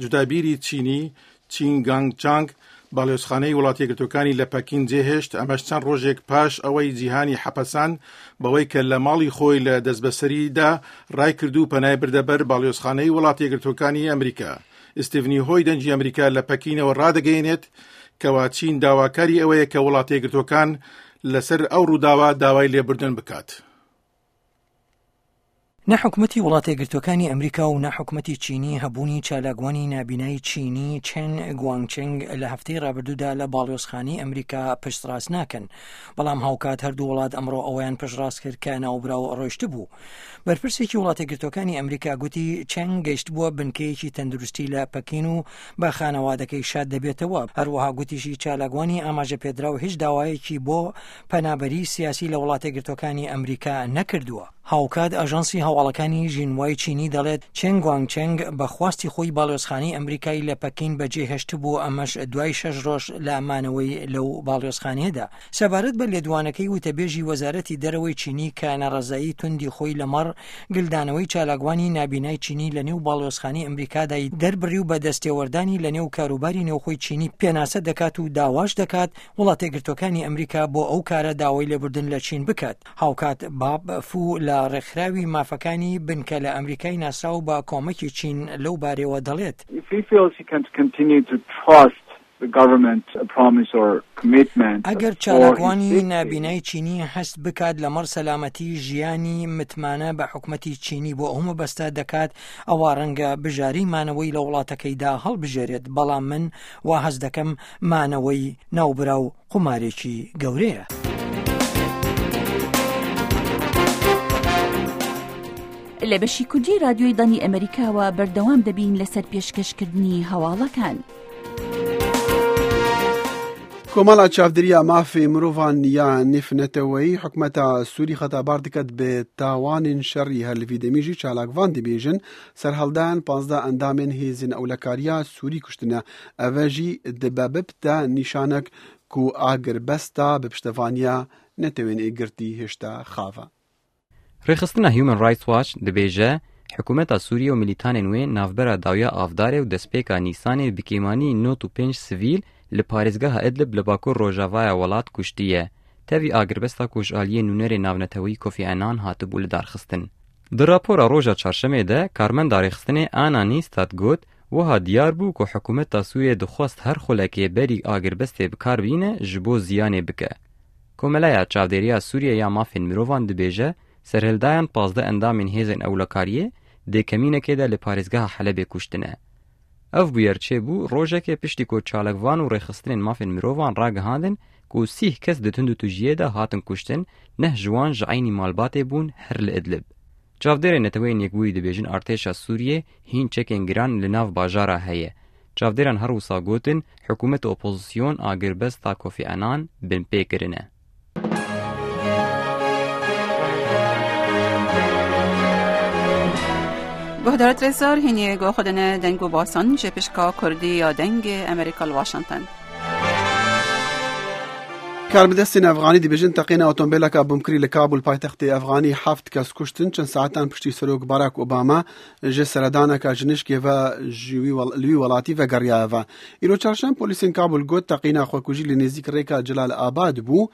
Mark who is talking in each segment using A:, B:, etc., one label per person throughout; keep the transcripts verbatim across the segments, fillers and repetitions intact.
A: جودابیری چینی چین گانگ چانگ باڵیۆزخانەی وڵاتە یەکگرتووەکانی لە پەکین جێهێشت، ئەمەش چەند ڕۆژێک پاش ئەوەی جیهانی حەپەسان بەوەی کە لە ماڵی خۆی لە دەستبەسەریدا ڕای کرد و پەنای بردە بەر باڵیۆزخانەی وڵاتە یەکگرتووەکانی ئەمریکا. ئیستیڤنی هۆی دەنگی ئەمریکا لە پەکینەوە ڕادەگەیەنێت کەوا چین داواکاری ئەوەیە کە وڵاتە یەکگرتووەکان لەسەر ئەو ڕووداوە داوای لێبوردن بکات.
B: نە حکومەتی وڵاتە یەکگرتووەکانی ئەمریکا و نە حکومەتی چینی هەبوونی چالاکوانی نابینای چینی چێن گوانگچنگ لە هەفتەی ڕابردوودا لە باڵیۆزخانەی ئەمریکا پشتڕاست ناکەن، بەڵام هاوکات هەردوو وڵات ئەمڕۆ ئەوەیان پشتڕاست کرد کە ناوبراو ڕۆیشتبوو. بەرپرسێکی وڵاتە یەکگرتووەکانی ئەمریکا گوتی چێنگ گەیشتبووە بنکەیەکی تەندروستی لە پەکین و بە خانەوادەکەی شاد دەبێتەوە. هەروەها گوتیشی چالاکوانی ئاماژە پێدراو هیچ داوایەکی بۆ پەنابەری سیاسی لە وڵاتە یەکگرتووەکانی ئەمریکا نەکردووە. هاوکات ئاژانسی هەواڵەکانی ژینوای چینی دەڵێت چێنگ گوانگچنگ بە خواستی خۆی باڵیۆزخانەی ئەمریکای لە پەکین بەجێهێشتبوو، ئەمەش دوای شەش ڕۆژ لە مانەوەی لەو باڵیۆزخانەیەدا. سەبارەت بە لێدوانەکەی وتەبێژی وەزارەتی دەرەوەی چینی کە ناڕەزایی توندی خۆی لەمەڕ گلدانەوەی چالاکوانی نابینای چینی لە نێو باڵیۆزخانەی ئەمریکادای دەربڕی و بە دەستێوەردانی لە نێو کاروباری نێوخۆی چینی پێناسە دەکات و داواش دەکات وڵاتە یەکگرتووەکانی ئەمریکا بۆ ئەو کارە داوای لێبوردن لە چین بکات. هاوکات باب فو لە ڕێکخراوی مافەکانی بنکە لە ئەمریکای ناسراو بە کۆمەکی چین لەو بارەوە دەڵێت ئەگەر چالاکوانی نابینای چینی هەست بکات لەمەڕ سەلامەتی ژیانی متمانە بە حکومەتی چینی بۆ ئەو مەبەستە دەکات، ئەوە ڕەنگە بژاری مانەوەی لە وڵاتەکەیدا هەڵبژێرێت، بەڵام من وا هەست دەکەم مانەوەی ناوبراو قومارێکی گەورەیە.
C: لە بەشی کوردی رادیۆی دەنگی ئەمریکاوە بەردەوام دەبین لەسەر پێشکەشکردنی هەواڵەکان.
D: کۆمەڵە چاودێریە مافی مرۆڤان یا نێونەتەوەیی حکومەتە سووری خەتابار دەکات بە تاوانین شەڕی هەر لە وی دەمیژی چالاکوان دەبێژن سەرهەڵدان پازدە ئەندامێن هێزن ئەولەکاریە سووری کوشتنە ئەڤەژی دبەببتە نیشانەک کو ئاگربەستا بە پشتەوانیە نەتەوێن ئێگرتی هێشتا خاوە.
E: ڕێکخستنە Human Rights Watch دەبێژە حکوومەتا سووریە و میلیتانên wê navbera dawiya avdarê û destpêka Nîsanê bi kêmanî nod û pênc sivîl li parêzgeha Idlib li bakur rojavaya welat kuştiye. Tevî agirbesta ku ji aliyê nûnerê navneteweyî Kofi Annan hatibû lidarxistin. Di rapora roja çarşemê de karmenda rêxistinê Anna Nystad got wiha diyar bû ku hikûmeta Sûriyê dixwest her xulekê berî agirbestê bikar bîne ji bo ziyanê bike. Komeleya Çavdêriya Sûriye ya Mafên Mirovan dibêje serhildayan pazdeh endamên hêzên ewlekariyê dê kemînekê de li parêzgeha Helebê kuştine. Ev bûyer çêbû rojekê piştî ku çalakvan û rêxistinên mafên mirovan ragihandin ku sîh kes di tund û tujiyê de hatin kuştin, neh ji wan ji eynî malbatê bûn her li Idlib. Çavdêrên Neteweyên Yekbûyî dibêjin artêşa Sûriyê hîn çekên giran li nav bajara heye. Çavdêran her wisa gotin hikûmet û opozisyon agirbesta Kofi Annan binpê kirine.
F: گهدارت رزار هینی گو خودن دنگو باسان جپشکا کردی یا دنگ امریکا واشنگتن.
D: کاربەدەستên Efxanî dibêjin teqîna otomobîleka bomkirî li Kabul paytextê Efxanî heft kes kuştin çend saetan piştî Serok Barack Obama ji seredaneka ji nişkê ve ji li wî welatî vegeriyaye ve. Îro çarşem polîsên Kabul got teqîna xwekujî li nêzîk rêka Celal Abad bû,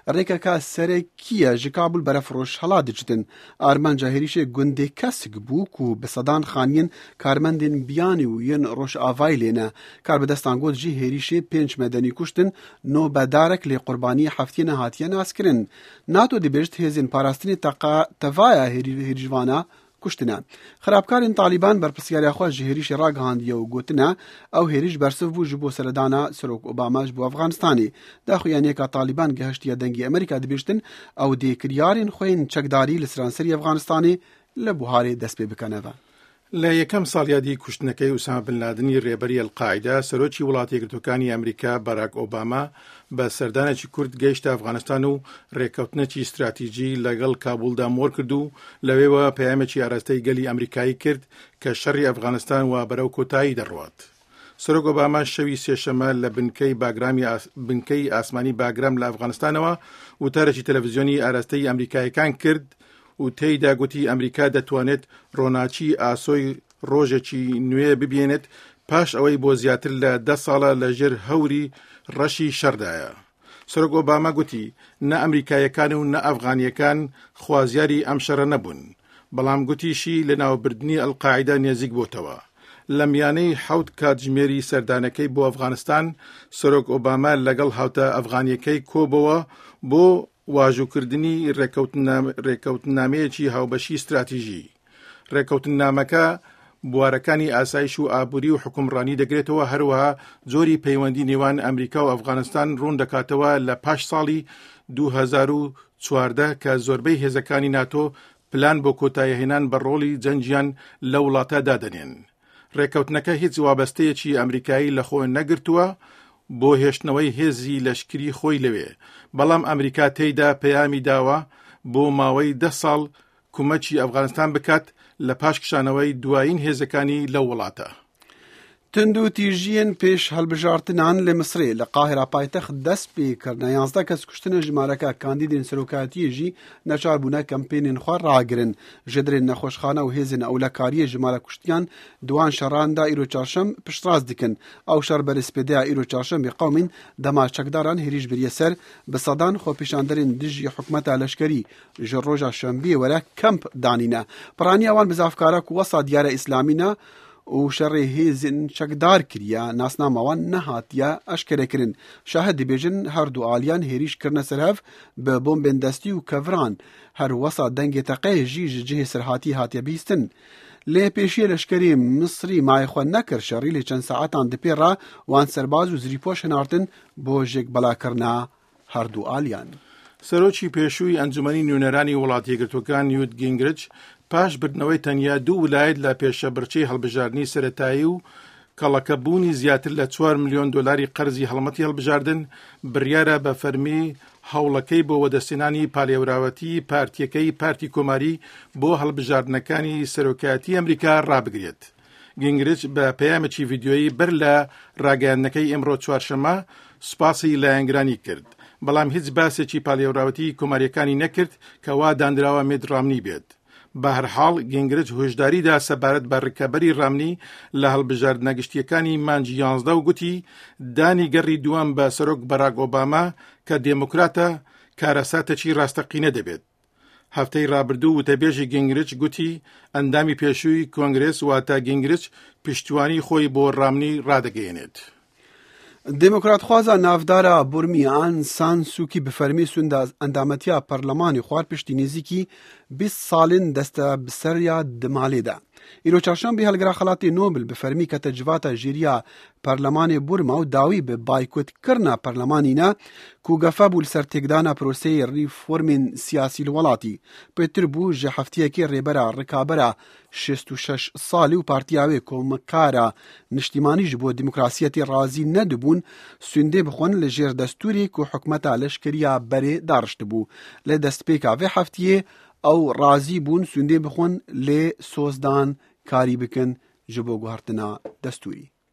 D: rêkeka serekiye ji Kabul beref rojhilat diçitin. Armanca hêrişê gundê kesik bû ku bi sedan xaniyên karmendên biyanî û yên rojavayî lê ne. Karbidestan got jî hêrişê pênc medenî kuştin, nobedarek lê qurbanî heftiyê nehatiye naskirin. NATO dibêjit hêzên parastinê tevaya hêrişvana kuştine. Xerabkarên Talîban berpirsyariya xwe ji hêrişê ragihandiye û gotine ew hêriş bersiv bû ji bo seredana Serok Obama ji bo Efxanistanê. Daxuyaniyeka Talîban gehiştiye dengê Amerîka dibêjtin ew dê kiryarên xwe yên çekdarî li seranserî Efxanistanê li buharê dest pê bikeneve.
A: لە یەکەم ساڵیادی کوشتنەکەی ئوسامە بن لادنی ڕێبەری ئەلقاعیدە، سەرۆکی وڵاتە یەکگرتووەکانی ئەمریکا باراک ئۆباما بە سەردانێکی کورت گەیشتە ئەفغانستان و ڕێککەوتنێکی استراتیژی لەگەڵ کابولدا مۆر کرد و لەوێوە پەیامێکی ئاراستەی گەلی ئەمریکایی کرد کە شەڕی ئەفغانستان وا بەرەو کۆتایی دەڕوات. سەرۆک ئۆباما شەوی سێشەمە لە بنکەی باگرامی بنکەی ئاسمانی باگرام لە ئەفغانستانەوە وتارێکی تەلەڤیزیۆنی ئاراستەی ئەمریکاییەکان کرد و تێیدا گوتی ئەمریکا دەتوانێت ڕۆناچی ئاسۆی ڕۆژێکی نوێ ببێنێت پاش ئەوەی بۆ زیاتر لە دە ساڵە لە ژێر هەوری ڕەشی شەڕدایە. سەرۆک ئۆباما گوتی نە ئەمریکاییەکان و نە ئەفغانیەکان خوازیاری ئەم شەڕە نەبوون، بەڵام گوتیشی لە ناوبردنی ئەلقاعیدە نێزیک بۆتەوە. لە میانەی حەوت کاتژمێری سەردانەکەی بۆ ئەفغانستان، سەرۆک ئۆباما لەگەڵ هاوتا ئەفغانیەکەی کۆبەوە بۆ واژووکردنی ڕێککەوتنامەیەکی هاوبەشی ستراتیژی. ڕێککەوتنامەکە بوارەکانی ئاسایش و ئابووری و حکومڕانی دەگرێتەوە، هەروەها جۆری پەیوەندی نێوان ئەمریکا و ئەفغانستان ڕوون دەکاتەوە لە پاش ساڵی دوو هەزار و چواردە کە زۆربەی هێزەکانی ناتۆ پلان بۆ کۆتاییهێنان بە ڕۆڵی جەنگیان لە وڵاتە دادەنێن. ڕێککەوتنەکە هیچ وابەستەیەکی ئەمریکایی لەخۆ نەگرتووە بۆ هێشتنەوەی هێزی لەشکری خۆی لەوێ، بەڵام ئەمریکا تێیدا پەیامی داوە بۆ ماوەی دە ساڵ کومەکی ئەفغانستان بکات لە پاش کشانەوەی دوایین هێزەکانی لەو وڵاتە.
D: توندوتیژیên پێش هەڵبژارتنان لە میسرê li Qahîra paytext dest pê kirine yazdeh kes kuştine jimareke kandîdên serokatiyê jî neçar bûne kempênên xwe ragirin. Ji derên nexweşxane û hêzên ewlekariyê jimara kuştiyan di wan şeran da îro çarşem piştrast dikin. Ew şer berê spêdeya îro çarşembê qewmîn dema çekdaran hêrîş biriye ser bi sedan xwepêşanderên dijî hikûmeta leşkerî ji roja şembiyê were kemp danîne. Piraniya wan bi zavkara ku wesa diyara îslamî ne û şerê hêzên çekdar kiriye nasnama wan nehatiye eşkerekirin. Şahid dibêjin her du aliyan hêrîş kirine ser hev bi bombên destî û keviran. Her wesa dengê teqeyê jî ji cihê serhatî hatiye bihîstin. Lê pêşiyê leşkerê Misrî mayê xwe nekir şerî lê çend saetan di pê re wan serbaz û zirîpoş hinartin bo jêkbelakirina her du aliyan.
A: سەرۆکی پێشووی ئەنجومەنی نوێنەرانی وڵاتی یەکگرتووەکان نیوت گینگریچ پاش بردنەوەی تەنیا دوو ولایەت لە پێشەبرچەی هەڵبژاردنی سەرەتایی و کەڵەکەبوونی زیاتر لە چوار ملیۆن دۆلاری قەرزی هەڵمەتی هەڵبژاردن، بڕیارە بە فەرمی هەوڵەکەی بۆ وەدەستێنانی پالێوراوەتی پارتیەکەی پارتی کۆماری بۆ هەڵبژاردنەکانی سەرۆکایەتی ئەمریکا ڕابگرێت. گینگریچ بە پەیامێکی ڤیدیۆیی بەر لە ڕاگەیاندنەکەی ئێمڕۆ چوارشەممە سوپاسی لایەنگرانی کرد، بەڵام هیچ باسێکی پالێوراوەتی کۆماریەکانی نەکرد کە وا دانراوە مێت ڕامنی بێت. بەهەرحاڵ گینگریچ هۆشداریدا سەبارەت بە ڕکەبەری ڕامنی لە هەڵبژاردنە گشتیەکانی مانگی یانزدە و گوتی دانی گەڕی دووەم بە سەرۆک باراک ئۆباما کە دێموکراتە کارەساتێکی ڕاستەقینە دەبێت. هەفتەی ڕابردوو وتەبێژی گینگریچ گوتی ئەندامی پێشووی کۆنگرێس واتە گینگریچ پشتیوانی خۆی بۆ ڕامنی ڕادەگەیەنێت.
D: دێموکراتخوازا ناودارا بورمی ئان سان سوکی bi fermî sûnda endametiya perlemanê xwar piştî nêzîkî bîst salên deste bi ser ya di malê de. Îro çarşembê helgira xelatê Nobel bi fermî kete civata jêriya perlemanê Burma û dawî bi baykotkirina perlemanî ne ku gefe bû li ser têkdana proseyê reformên siyasî li welatî. Pêtir bû ji heftiyekê rêbera rikabera şêst û şeş salî û partiya wê komkara niştîmanî ji bo demokrasiyetê razî nedibûn sûndê bixwin li jêr destûrê ku hikûmeta leşkeriya berê dariştibû. Li destpêka vê heftiyê ew razî bûn sûndê bixwin lê sozdan karî bikin ji bo guhertina destûrî.